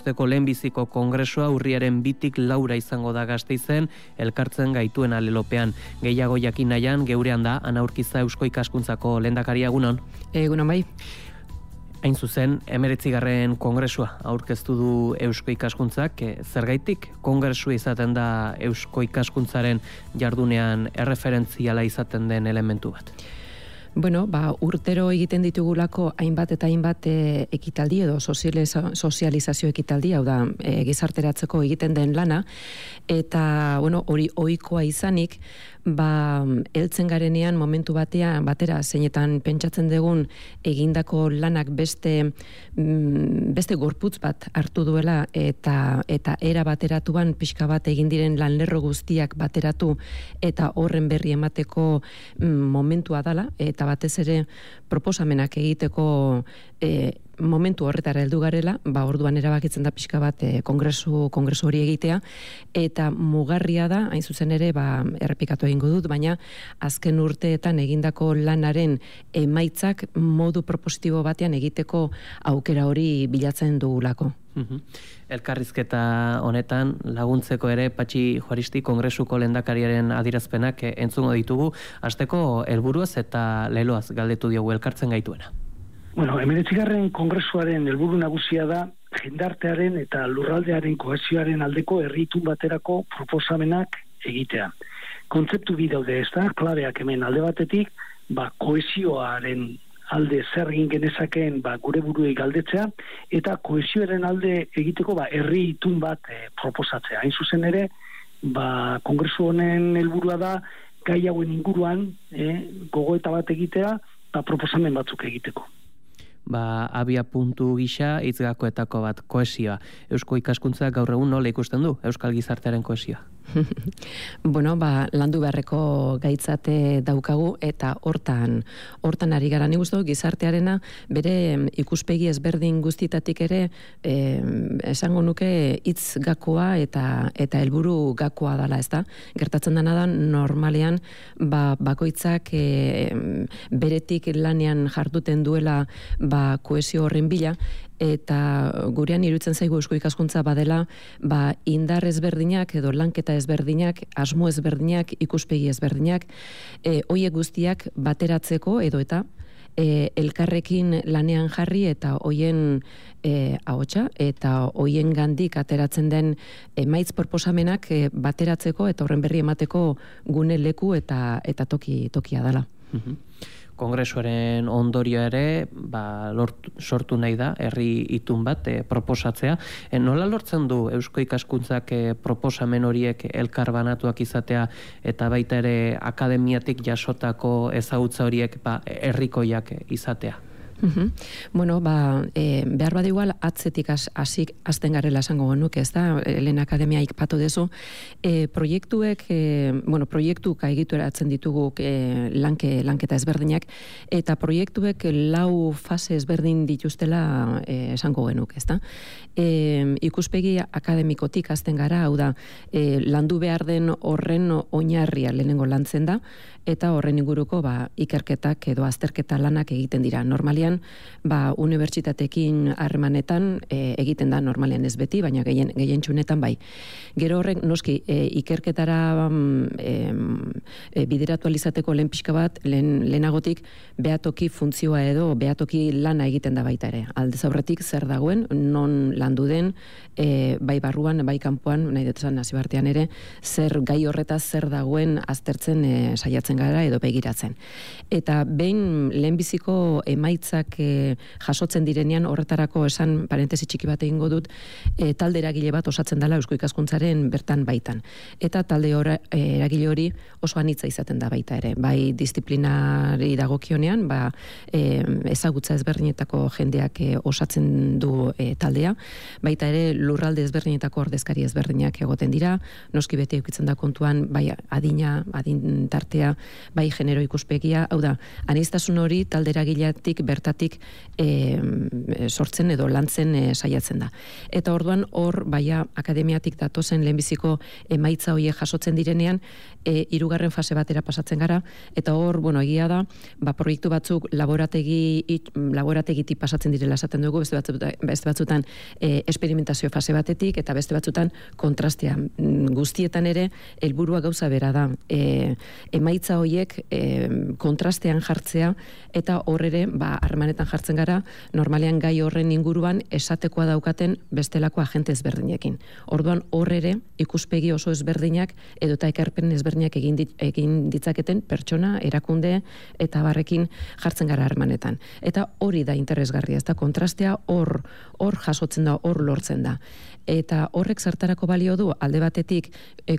urteko lehenbiziko kongresua urriaren 2-4 izango da Gasteizen, elkartzen gaituen alelopean. Gehiago jakin nahian, geurean da, Ana Urkiza Eusko Ikaskuntzako lehendakaria, egunon. Egunon bai. Hain zuzen, 19. kongresua aurkeztu du Eusko Ikaskuntzak, zergaitik kongresua izaten da Eusko Ikaskuntzaren jardunean erreferentziala izaten den elementu bat? Bueno, urtero egiten ditugulako hainbat eta hainbat ekitaldi edo sozializazio ekitaldi, hau da, gizarteratzeko egiten den lana, eta, hori ohikoa izanik, heltzen garenean momentu batera zeinetan pentsatzen dugun egindako lanak beste gorputz bat hartu duela eta era bateratuan pixka bat egin diren lanlerro guztiak bateratu eta horren berri emateko momentua dala, eta batez ere proposamenak egiteko momentu horretara heldu garela, orduan erabakitzen da pixka bat kongresu hori egitea, eta mugarria da, hain zuzen ere, errepikatu egingo dut, baina azken urteetan egindako lanaren emaitzak modu propositibo batean egiteko aukera hori bilatzen dugulako. Elkarrizketa honetan laguntzeko ere Patxi Juaristi kongresuko lehendakariaren adierazpenak entzungo ditugu, hasteko helburuaz eta leloaz galdetu diogu elkartzen gaituena. 19. kongresuaren helburu nagusia da jendartearen eta lurraldearen kohesioaren aldeko herri itun baterako proposamenak egitea. Kontzeptu bi daude, ez da, klabeak hemen alde batetik, kohesioaren alde zer egin genezakeen gure buruei galdetzea, eta kohesioaren alde egiteko herri itun bat proposatzea. Hain zuzen ere, kongresu honen helburua da gai hauen inguruan gogoeta bat egitea, proposamen batzuk egiteko. Abia puntu gisa hitzgakoetako bat, kohesioa. Eusko Ikaskuntza gaur egun nola ikusten du Euskal Gizartearen kohesioa? Landu beharreko gaitzate daukagu eta hortan ari gara. Nik uste gizartearena bere ikuspegi ezberdin guztietatik ere esango nuke hitz gakoa eta helburu gakoa dela, ezta? Gertatzen dena da normalean bakoitzak beretik lanean jarduten duela kohesio horren bila, eta gurean iruditzen zaigu Eusko Ikaskuntza badela indar ezberdinak edo lanketa ezberdinak, asmo ezberdinak, ikuspegi ezberdinak, hoiek guztiak bateratzeko edo eta elkarrekin lanean jarri eta hoien ahotsa eta hoien gandik ateratzen den emaitz proposamenak bateratzeko eta horren berri emateko gune leku eta tokia dela. Kongresuaren ondorio ere sortu nahi da herri itun bat proposatzea. Nola lortzen du Eusko Ikaskuntzak proposamen horiek elkar banatuak izatea eta baita ere akademiatik jasotako ezagutza horiek herrikoiak izatea? Behar bat igual atzetik hasten garela esango genuke, ez da, lehen akademia ikpatu dezu, proiektuka egituratzen ditugu lanketa ezberdinak, eta proiektuek 4 fase ezberdin dituztela esango genuke, ez da. Ikuspegi akademikotik hasten gara, hau da, landu behar den horren oinarria lehenengo lantzen da, eta horren inguruko ikerketak edo azterketa lanak egiten dira. Normalian, unibertsitatekin harremanetan egiten da, normalean ez beti, baina gehien txunetan bai. Gero horrek, noski, ikerketara bideratu alizateko lehen pixka bat, lehenagotik behatoki funtzioa edo behatoki lana egiten da baita ere. Aldez aurretik zer dagoen, non landu den, bai barruan, bai kanpoan, nahi dut esan nazibartean ere, zer gai horretaz zer dagoen aztertzen saiatzen gara edo begiratzen. Eta behin lehenbiziko emaitzak jasotzen direnean, horretarako esan parentesi txiki bat egingo dut, talde eragile bat osatzen dela Eusko Ikaskuntzaren bertan baitan. Eta talde eragile hori oso anitza izaten da baita ere. Bai disiplinari dagokionean, ezagutza ezberdinetako jendeak osatzen du taldea, baita ere lurralde ezberdinetako ordezkari ezberdinak egoten dira, noski beti eukitzen da kontuan, bai adin tartea, bai genero ikuspegia, hau da, aniztasun hori talde eragiletik bertan horretatik sortzen edo lantzen saiatzen da. Eta orduan hor baia akademiatik datozen lehenbiziko emaitza horiek jasotzen direnean, hirugarren fase batera pasatzen gara, eta hor, egia da, proiektu batzuk laborategitik pasatzen direla esaten dugu, beste batzutan esperimentazio fase batetik, eta beste batzutan kontrastea. Guztietan ere, helburua gauza bera da. Emaitza horiek kontrastean jartzea, eta hor ere, harremanetan jartzen gara, normalean gai horren inguruan esatekoa daukaten bestelako agente ezberdinekin. Orduan hor ere, ikuspegi oso ezberdinak edota ekarpen ezberdinak egin ditzaketen pertsona, erakunde eta barrekin jartzen gara harremanetan. Eta hori da interesgarria, ez da kontrastea hor jasotzen da, hor lortzen da. Eta horrek zertarako balio du, alde batetik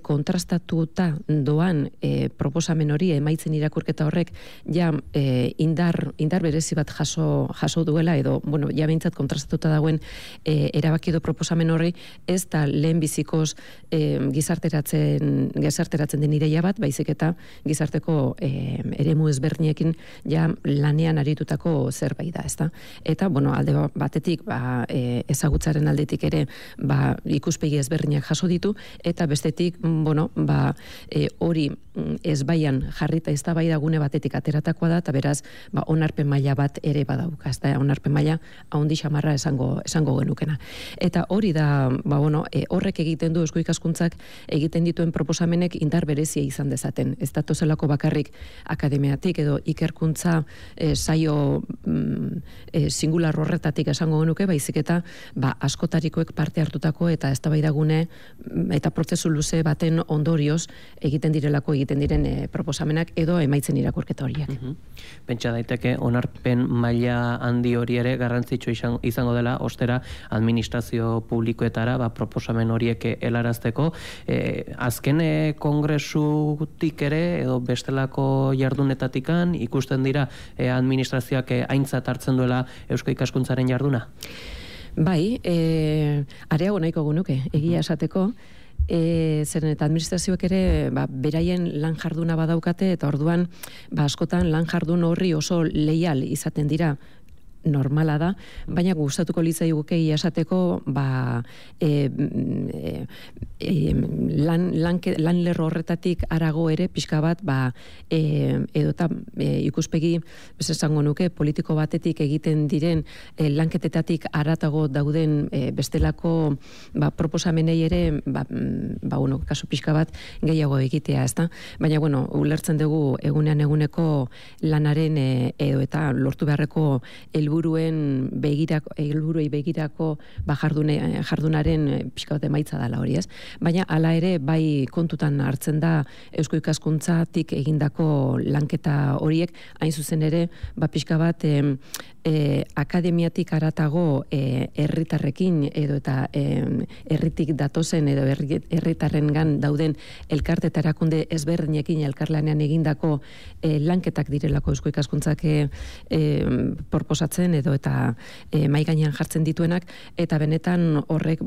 kontrastatuta doan proposamen hori, emaitzen irakurketa horrek, ja indar berezi bat jaso duela, edo, ja behintzat kontrastatuta dagoen erabaki edo proposamen horri, ez da lehen bizikoz gizarteratzen den ideia bat, baizik eta gizarteko eremu ezberdinekin ja lanean aritutako zerbait da, ezta? Eta, alde batetik, ezagutzaren aldetik ere, ikuspegi ezberdinak jaso ditu, eta bestetik, hori ezbaian jarrita eztabaida gune batetik ateratakoa da, eta beraz, onarpen maila bat ere badauka, ez da, onarpen maila haundi xamarra esango genukena. Eta hori da, horrek egiten du eusko ikaskuntzak egiten dituen proposamenek indar berezia izan dezaten. Ez da tozelako bakarrik akademiatik edo ikerkuntza saio singular horretatik esango genuke, baizik eta askotarikoek parte hartutako eta eztabaidagune eta prozesu luze baten ondorioz egiten diren proposamenak edo emaitzen irakurketa horiek. Pentsa daiteke onarpen maila handi hori ere garrantzitsu izango dela ostera administrazio publikoetara proposamen horiek helarazteko. Azken kongresutik ere edo bestelako jardunetatikan ikusten dira administrazioak aintzat hartzen duela eusko ikaskuntzaren jarduna? Bai, areago nahiko genuke, egia esateko, zeren eta administrazioek ere beraien lan jarduna badaukate, eta orduan askotan lan jardun horri oso leial izaten dira, normala da, baina gustatuko litzaiguke esateko lan lerro horretatik harago ere pixka bat edota ikuspegi esango nuke politiko batetik egiten diren lanketetatik haratago dauden bestelako proposamenei ere kasu pixka bat gehiago egitea, ezta? Baina ulertzen dugu eguneko lanaren edo eta lortu beharreko helburuei begirako jardunaren pixka bat emaitza dela hori, ez? Baina hala ere bai kontutan hartzen da eusko ikaskuntzatik egindako lanketa horiek, hain zuzen ere pixka bat akademiatik haratago herritarrekin edo eta herritik datozen edo herritarrengan dauden elkarte eta erakunde ezberdinekin elkarlanean egindako lanketak direlako eusko ikaskuntzak proposatzen edo eta mahai gainean jartzen dituenak, eta benetan horrek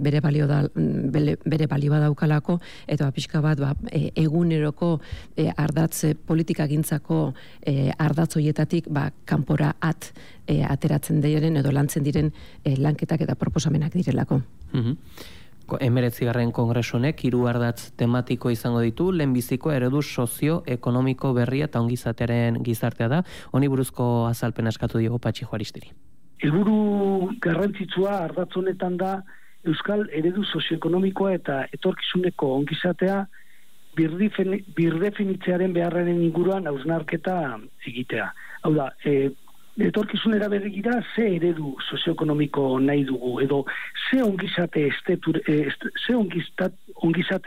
bere balioa daukalako, eta pixka bat eguneroko ardatz politikagintzako ardatz hoietatik kanpora ateratzen diren edo lantzen diren lanketak eta proposamenak direlako. 19. kongresu honek 3 ardatz tematiko izango ditu, lehenbiziko eredu sozio-ekonomiko berria eta ongizatearen gizartea da. Honi buruzko azalpena eskatu diogu Patxi Juaristiri. Helburu garrantzitsua ardatz honetan da euskal eredu sozioekonomikoa eta etorkizuneko ongizatea birdefinitzearen beharraren inguruan hausnarketa egitea. Hau da, etorkizunera begira ze eredu sozioekonomiko nahi dugu, edo ze ongizate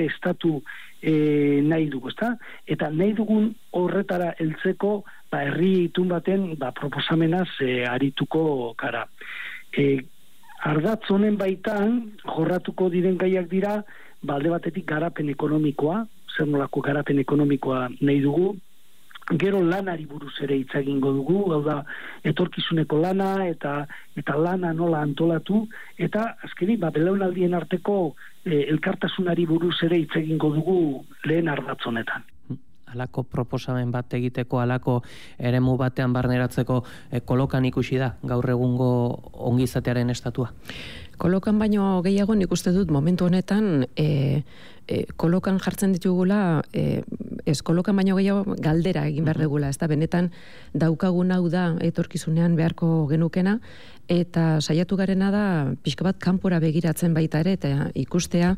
estatu nahi dugu, ezta? Eta nahi dugun horretara heltzeko herri itun baten proposamenaz arituko gara. Ardatz honen baitan jorratuko diren gaiak dira, alde batetik garapen ekonomikoa, zer nolako garapen ekonomikoa nahi dugu, gero lanari buruz ere hitz egingo dugu, hau da etorkizuneko lana eta lana nola antolatu, eta azkenik belaunaldien arteko elkartasunari buruz ere hitz egingo dugu lehen ardatz honetan. alako proposamen bat egiteko, alako eremu batean barneratzeko kolokan ikusi da gaur egungo ongizatearen estatua? Kolokan baino gehiago nik uste dut momentu honetan kolokan jartzen ditugula, ez kolokan baino gehiago galdera egin behar dugula, ez da benetan daukagun hau da etorkizunean beharko genukena, eta saiatu garena da pixka bat kanpora begiratzen baita ere, eta ikustea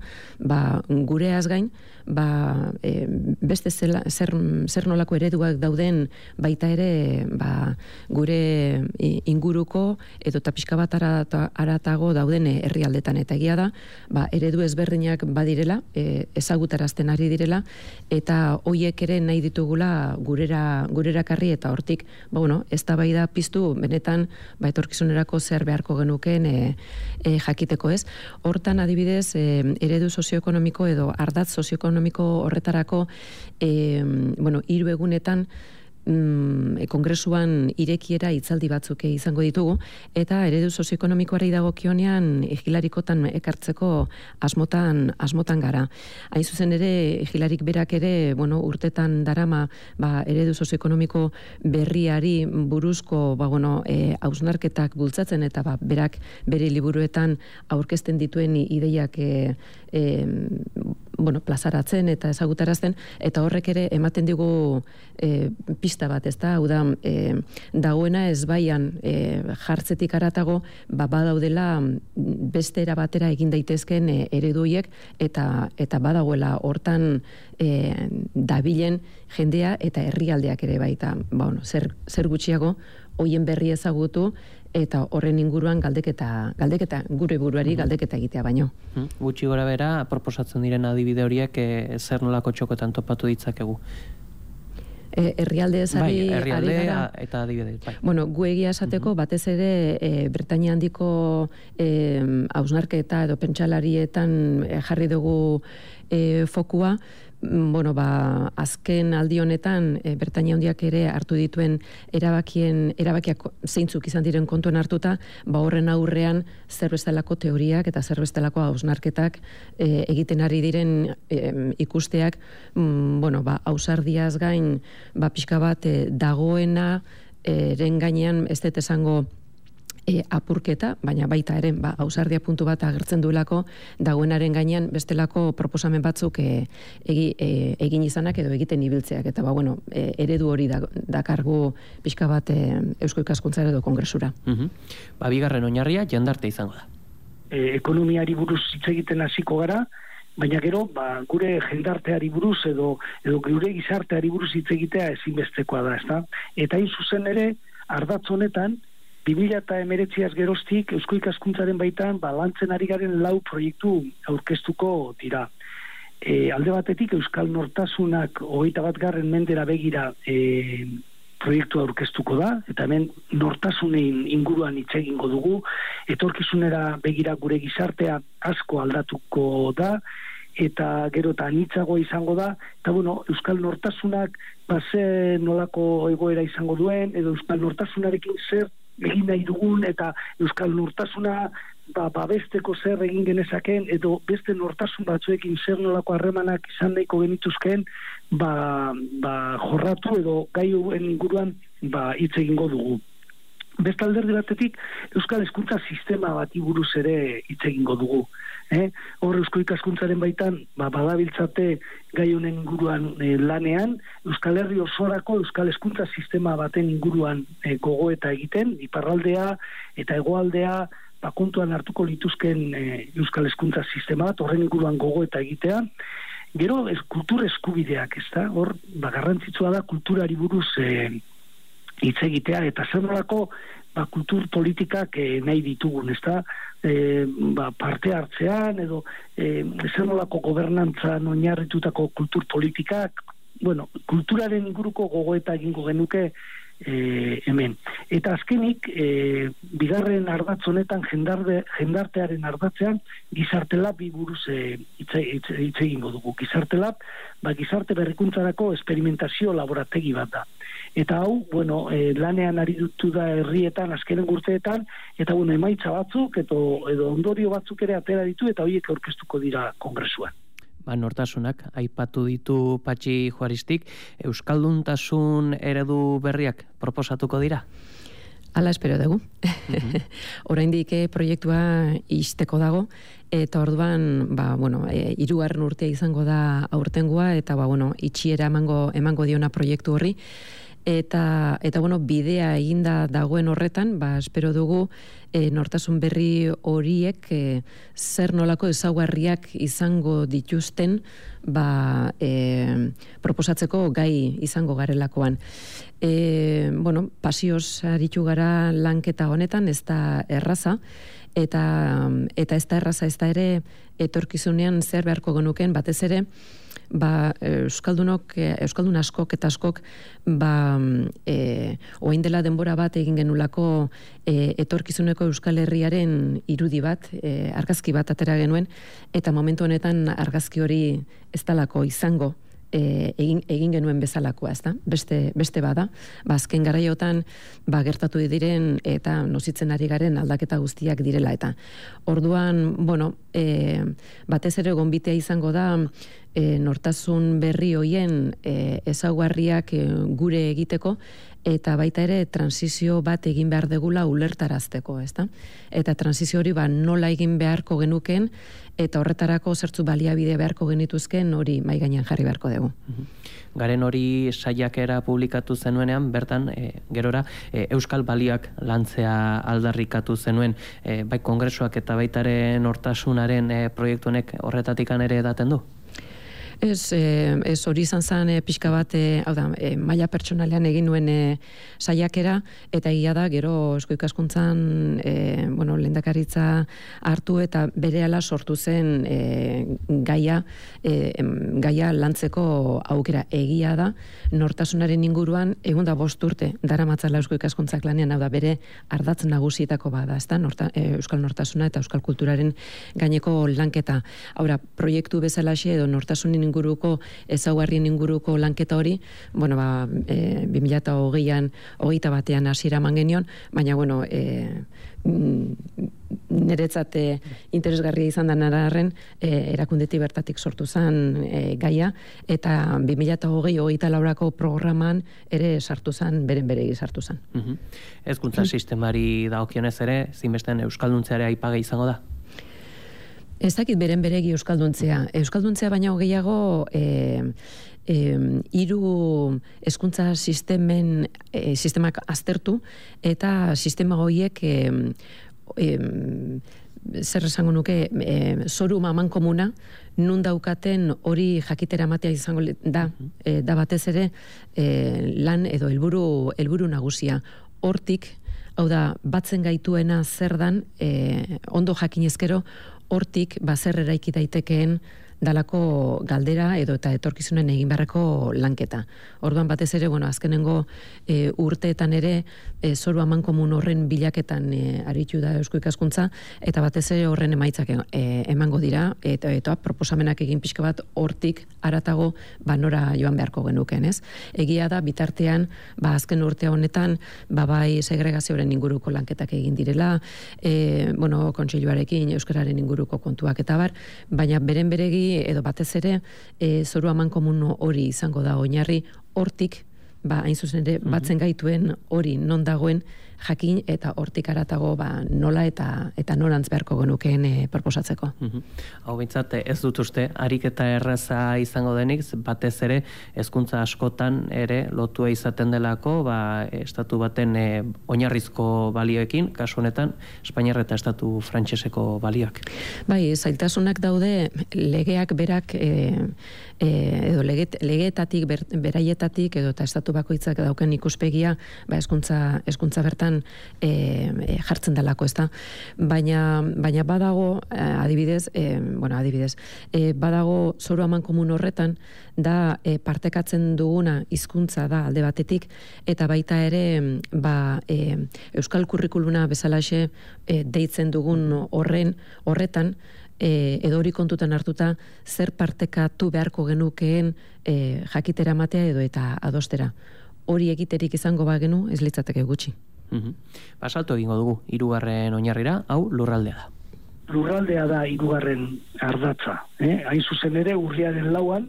gureaz gain, beste zer nolako ereduak dauden baita ere gure inguruko edo eta pixka bat aratago dauden herrialdetan, eta egia da eredu ezberdinak badirela, ezagutarazten ari direla, eta hoiek ere nahi ditugula gurera karri, eta hortik eztabaida piztu benetan etorkizunerako zer beharko genuken jakiteko, ez. Hortan adibidez eredu sozioekonomiko edo ardatz sozioekonomiko horretarako 3 egunetan kongresuan irekiera hitzaldi batzuk izango ditugu, eta eredu sozioekonomikoari dagokionean Hilarikotan ekartzeko asmotan gara. Hain zuzen ere, Hilarik berak ere, urtetan darama eredu sozioekonomiko berriari buruzko hausnarketak bultzatzen, eta berak bere liburuetan aurkezten dituen ideiak plazaratzen eta ezagutarazten, eta horrek ere ematen digu pista bat, ez da, hau da, dagoena ez baian jartzetik aratago, badaudela beste era batera egin daitezken ereduiek, eta badagoela hortan dabilen jendea eta herrialdeak ere baita, zer gutxiago, hoien berri ezagutu, eta horren inguruan galdeketa gure buruari galdeketa egitea baino. Gutxi gora bera, proposatzen diren adibide horiek zer nolako txokotan topatu ditzakegu? Herrialde herrialdea eta adibide. Gu egia esateko, batez ere Britainia handiko hausnarketa edo pentsalarietan jarri dugu fokua. Azken aldi honetan Britainia handiak ere hartu dituen erabakiak zeintzuk izan diren kontuan hartuta, horren aurrean zer bestelako teoriak eta zer bestelako hausnarketak egiten ari diren ikusteak, ausardiaz gain pixka bat dagoena eren gainean ez dut esango apurketa, baina baita ere ausardia puntu bat agertzen duelako dagoenaren gainean bestelako proposamen batzuk egin izanak edo egiten ibiltzeak, eta eredu hori dakargu pixka bat Eusko Ikaskuntzara edo Kongresura. Bigarren oinarria jendarte izango da. Ekonomiari buruz hitz egiten hasiko gara, baina gero gure jendarteari buruz edo gure gizarteari buruz hitz egitea ezinbestekoa da, ezta? Eta hain zuzen ere, ardatz honetan 2019 geroztik Eusko Ikaskuntzaren baitan lantzen ari garen 4 proiektu aurkeztuko dira. Alde batetik Euskal Nortasunak 21. mendera begira proiektu aurkeztuko da, eta hemen nortasunein inguruan hitz egingo dugu, etorkizunera begira gure gizartea asko aldatuko da, eta gero eta anitzago izango da, eta Euskal Nortasunak ze nolako egoera izango duen, edo Euskal Nortasunarekin zer egin nahi dugun, eta Euskal Nortasuna babesteko zer egin genezaken, edo beste nortasun batzuekin zer nolako harremanak izan nahiko genituzken, jorratu edo gaioen inguruan hitz egingo dugu. Beste alderdi batetik, Euskal Hezkuntza sistema bati buruz ere hitz egingo dugu. Hor Eusko Ikaskuntzaren baitan badabiltzate gai honen inguruan lanean, Euskal Herri osorako Euskal Hezkuntza sistema baten inguruan gogoeta egiten, iparraldea eta hegoaldea kontuan hartuko lituzken Euskal Hezkuntza sistema bat, horren inguruan gogoeta egitea. Gero, kultur eskubideak, ez da? Hor, garrantzitsua da kulturari buruz hitz egitea, eta zer nolako kultur politikak nahi ditugun, ez da? Parte hartzean, edo zer nolako gobernantzan oinarritutako kultur politikak, kulturaren inguruko gogoeta egingo genuke hemen. Eta azkenik, bigarren ardatz honetan, jendartearen ardatzean, Gizarte Lab buruz hitz egingo dugu. Gizarte Lab, gizarte berrikuntzarako esperimentazio laborategi bat da. Eta hau, lanean ari dutu da herrietan, azkenen urteetan, eta emaitza batzuk, edo ondorio batzuk ere atera ditu, eta horiek aurkeztuko dira kongresuan. Nortasunak aipatu ditu Patxi Juaristik, euskalduntasun eredu berriak proposatuko dira? Hala espero dugu. Oraindik proiektua ixteko dago, eta orduan, hirugarren urtea izango da aurtengoa, eta itxiera emango diona proiektu horri, eta bidea eginda dagoen horretan, espero dugu nortasun berri horiek zer nolako ezaugarriak izango dituzten proposatzeko gai izango garelakoan. Pasioz aritu gara lanketa honetan, ez da erraza, eta ez da erraza, ez da ere etorkizunean zer beharko genuken, batez ere, euskaldun askok eta askok orain dela denbora bat egin genulako etorkizuneko Euskal Herriaren irudi bat, argazki bat atera genuen, eta momentu honetan argazki hori ez dalako izango egin genuen bezalakoa, ezta? Beste bada, azken garaiotan gertatu diren eta nozitzen ari garen aldaketa guztiak direla, eta orduan, batez ere gonbitea izango da nortasun berri hoien ezaugarriak gure egiteko, eta baita ere transizio bat egin behar degula ulertarazteko, ezta? Eta transizio hori nola egin beharko genuken, eta horretarako zertzu baliabide beharko genituzken hori mai gainean jarri beharko dugu. Garen hori saiakera publikatu zenuenean, bertan, gerora, euskal balioak lantzea aldarrikatu zenuen, bai kongresuak eta baitaren nortasunaren proiektu honek horretatik ere edaten du? Ez hori izan zen pixka bat, maila pertsonalean egin nuen saiakera, eta egia da, gero Eusko Ikaskuntzan lehendakaritza hartu eta berehala sortu zen gaia lantzeko aukera. Egia da, nortasunaren inguruan, egun da 5 urte daramatzala Eusko Ikaskuntzak lanean, bere ardatz nagusietako bada, ezta? Euskal nortasuna eta euskal kulturaren gaineko lanketa. Proiektu bezalaxe edo nortasunin inguruko, ezaugarrien inguruko lanketa hori, 2020an, 21 hasiera eman genion, baina, niretzat interesgarria izan da nararren, erakundetik bertatik sortu zen gaia, eta 2020-2024ko programan ere sartu zen, beregi sartu zen. Hezkuntza sistemari dagokionez ere, zinbesten euskalduntzeare aipagai izango da? Ez dakit beregi euskalduntzea. Euskalduntzea baina gehiago hiru hezkuntza sistemak aztertu, eta sistema horiek zer esango nuke, zoru maman komuna, nun daukaten hori jakitera matea izango da batez ere lan edo helburu nagusia. Hortik, hau da, batzen gaituena zer dan, ondo jakinezkero, hortik zer eraiki daitekeen dalako galdera edo eta etorkizunen egin beharreko lanketa. Orduan batez ere, azkenengo urteetan ere zoru amankomun horren bilaketan aritu da Eusko Ikaskuntza, eta batez ere horren emaitzak emango dira, eta proposamenak egin pixka bat hortik aratago nora joan beharko genuken, ez? Egia da, bitartean, azken urte honetan, bai segregazioaren inguruko lanketak egin direla, kontseiluarekin euskararen inguruko kontuak eta bar, baina beregi edo batez ere zoru amankomun hori izango da oinarri, hortik, hain zuzen ere, batzen gaituen hori non dagoen jakin, eta hortik aratago nola eta norantz beharko genukeen proposatzeko. Hau bintzat, ez dut uste, ariketa erraza izango denik, batez ere, hezkuntza askotan ere lotua izaten delako, estatu baten oinarrizko balioekin, kasu honetan, Espainiar eta estatu frantseseko balioak. Bai, zailtasunak daude legeak berak, edo legeetatik, beraietatik, edo eta estatu bakoitzak dauken ikuspegia, hezkuntza bertan jartzen dalako, ezta? Baina badago, adibidez, badago zoru amankomun horretan, da partekatzen duguna hizkuntza da alde batetik, eta baita ere euskal kurrikuluna bezalaxe deitzen dugun horretan, edo hori kontutan hartuta, zer partekatu beharko genukeen jakitera matea edo eta adostera. Hori egiterik izango bagenu, ez litzateke gutxi. Salto egingo dugu, 3. oinarrira, hau lurraldea da. lurraldea da hirugarren ardatza. Hain zuzen ere, urriaren 4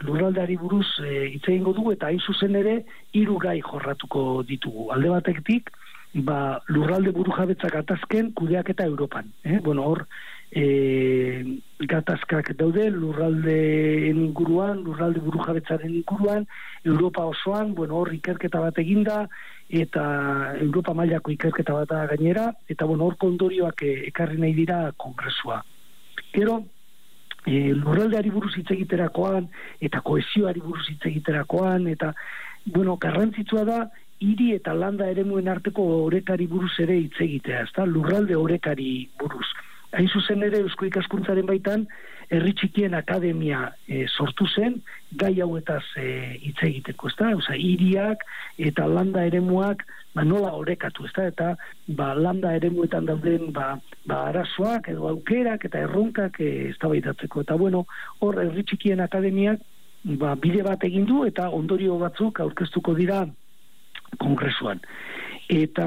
lurraldeari buruz hitz egingo dugu, eta hain zuzen ere 3 gai jorratuko ditugu. Alde batetik, lurralde burujabetza gatazken kudeaketa Europan. Hor, gatazkak daude lurraldeen inguruan, lurralde burujabetzaren inguruan, Europa osoan, hor ikerketa bat eginda, eta Europa mailako ikerketa bat gainera, eta hor ondorioak ekarri nahi dira kongresua. Gero, lurraldeari buruz hitz egiterakoan, eta kohesioari buruz hitz egiterakoan, eta, garrantzitsua da, hiri eta landa eremuen arteko orekari buruz ere hitz egitea, ezta? Lurralde orekari buruz. Hain zuzen ere, Eusko Ikaskuntzaren baitan, herri txikien akademia sortu zen, gai hauetaz hitz egiteko, ezta? Hiriak eta landa eremuak nola orekatu, ezta? Eta landa eremuetan dauden arazoak edo aukerak eta erronkak eztabaidatzeko. Eta hor herri txikien akademiak bide bat egin du eta ondorio batzuk aurkeztuko dira kongresuan. Eta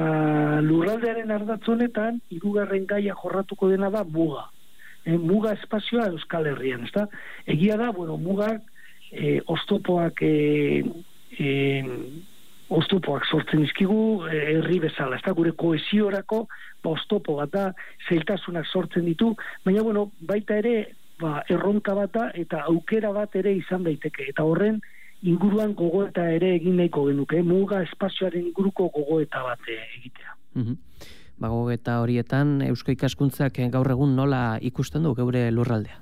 lurraldearen ardatz honetan, 3. gaia jorratuko dena da muga. Muga espazioa Euskal Herrian, ezta? Egia da, mugak oztopoak sortzen dizkigu herri bezala, ezta? Gure kohesiorako oztopo bat da, zailtasunak sortzen ditu, baina baita ere erronka bat da eta aukera bat ere izan daiteke. Eta horren inguruan gogoeta ere egin nahiko genuke, muga espazioaren inguruko gogoeta bat egitea. Gogoeta horietan, Eusko Ikaskuntzak gaur egun nola ikusten du geure lurraldea?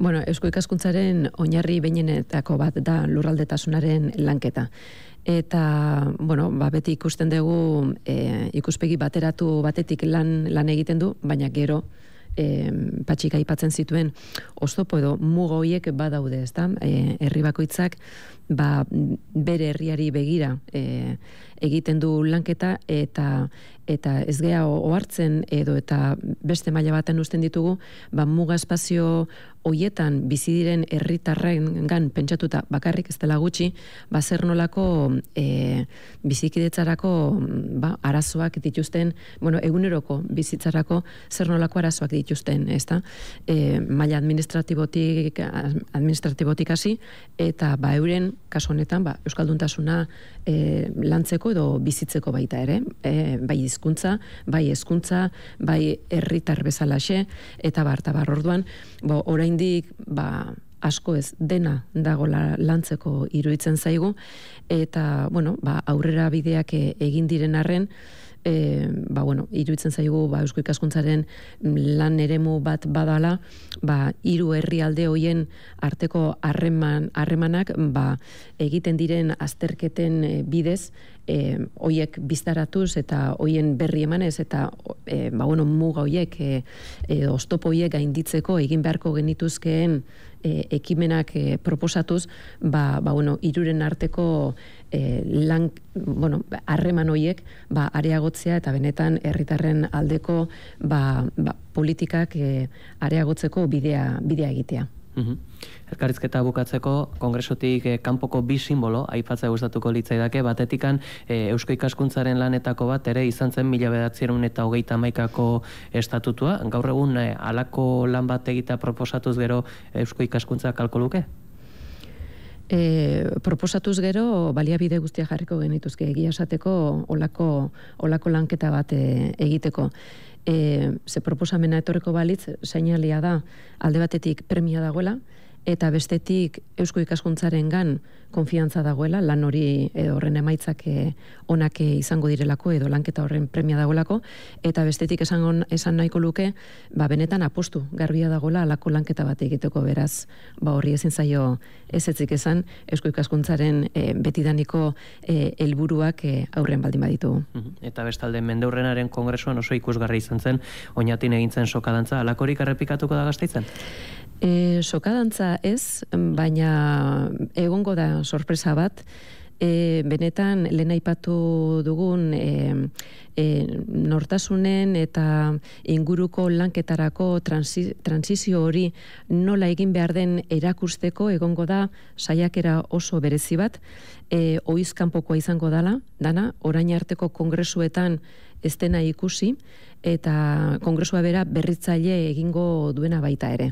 Eusko Ikaskuntzaren oinarri behinenetako bat da lurraldetasunaren lanketa. Eta, beti ikusten dugu ikuspegi bateratu batetik lan egiten du, baina gero patxik aipatzen zituen oztopo edo muga horiek badaude, ezta? Herri bakoitzak bere herriari begira egiten du lanketa eta ez gea ohartzen edo eta beste maila baten uzten ditugu, muga espazio hoietan bizi diren herritarrengan pentsatuta bakarrik ez dela gutxi, zer nolako bizikidetzarako arazoak dituzten, eguneroko bizitzarako zer nolako arazoak dituzten, ezta? Maila administratibotik hasi eta euren kasu honetan euskalduntasuna lantzeko edo bizitzeko baita ere, bai hizkuntza, bai hezkuntza, bai herritar bezalaxe eta orduan, oraindik asko ez dena dagola lantzeko iruditzen zaigu eta aurrera bideak egin diren arren iruditzen zaigu Eusko Ikaskuntzaren lan eremu bat badala, 3 herrialde hoien arteko harremanak egiten diren azterketen bidez hoiek biztaratuz eta hoien berri emanez eta muga hoiek oztopo hoiek gainditzeko egin beharko genituzkeen ekimenak proposatuz, hiruren arteko harreman hoiek areagotzea eta benetan herritarren aldeko politikak areagotzeko bidea egitea. Elkarrizketa bukatzeko, kongresotik kanpoko 2 simbolo aipatzea gustatuko litzaidake, batetikan Eusko Ikaskuntzaren lanetako bat ere izan zen 1931ko estatutua. Gaur egun halako lan bat egitea proposatuz gero Eusko Ikaskuntza kalko luke? Proposatuz gero baliabide guztia jarriko genituzke egia esateko olako lanketa bat egiteko. Ze proposamena etorriko balitz, seinalia da alde batetik premia dagoela, eta bestetik Eusko Ikaskuntzarengan konfiantza dagoela, lan hori horren emaitzak onak izango direlako edo lanketa horren premia dagoelako, eta bestetik esan nahiko luke, benetan apostu garbia dagoela alako lanketa bat egiteko, beraz, horri ezin zaio ezetzik esan Eusko Ikaskuntzaren betidaniko helburuak aurren baldin baditu. Eta bestalde Mendeurrenaren kongresuan oso ikusgarri izan zen, Oñatin egintzen sokadantza, alakorik errepikatuko da Gasteizen? Sokadantza ez, baina egongo da sorpresa bat, benetan lehen aipatu dugun nortasunen eta inguruko lanketarako transizio hori nola egin behar den erakusteko egongo da saiakera oso berezi bat, oizkanpokoa izango dana, orain arteko kongresuetan ez dena ikusi, eta kongresua bera berritzaile egingo duena baita ere.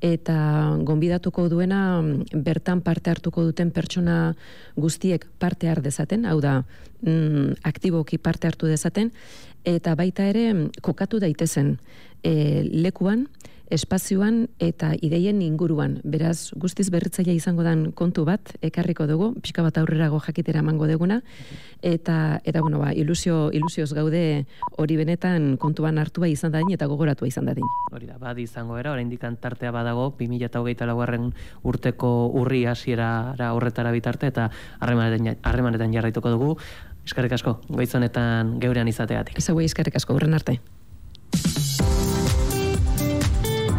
Eta gonbidatuko duena bertan parte hartuko duten pertsona guztiek parte har dezaten, hau da, aktiboki parte hartu dezaten, eta baita ere kokatu daitezen lekuan, espazioan eta ideien inguruan. Beraz, guztiz berritzailea izango dan kontu bat, ekarriko dugu, pixka bat aurrerago jakitera emango duguna, eta bueno, ilusioz gaude hori benetan kontuan hartua izan dadin eta gogoratua izan dadin. Hori da, badi izango era, oraindik tartea badago, 2024 urteko urri hasierara horretara bitarte, eta harremanetan jarraituko dugu. Eskerrik asko, goiz honetan geurean izateatik. Ez eskerrik asko, urren arte.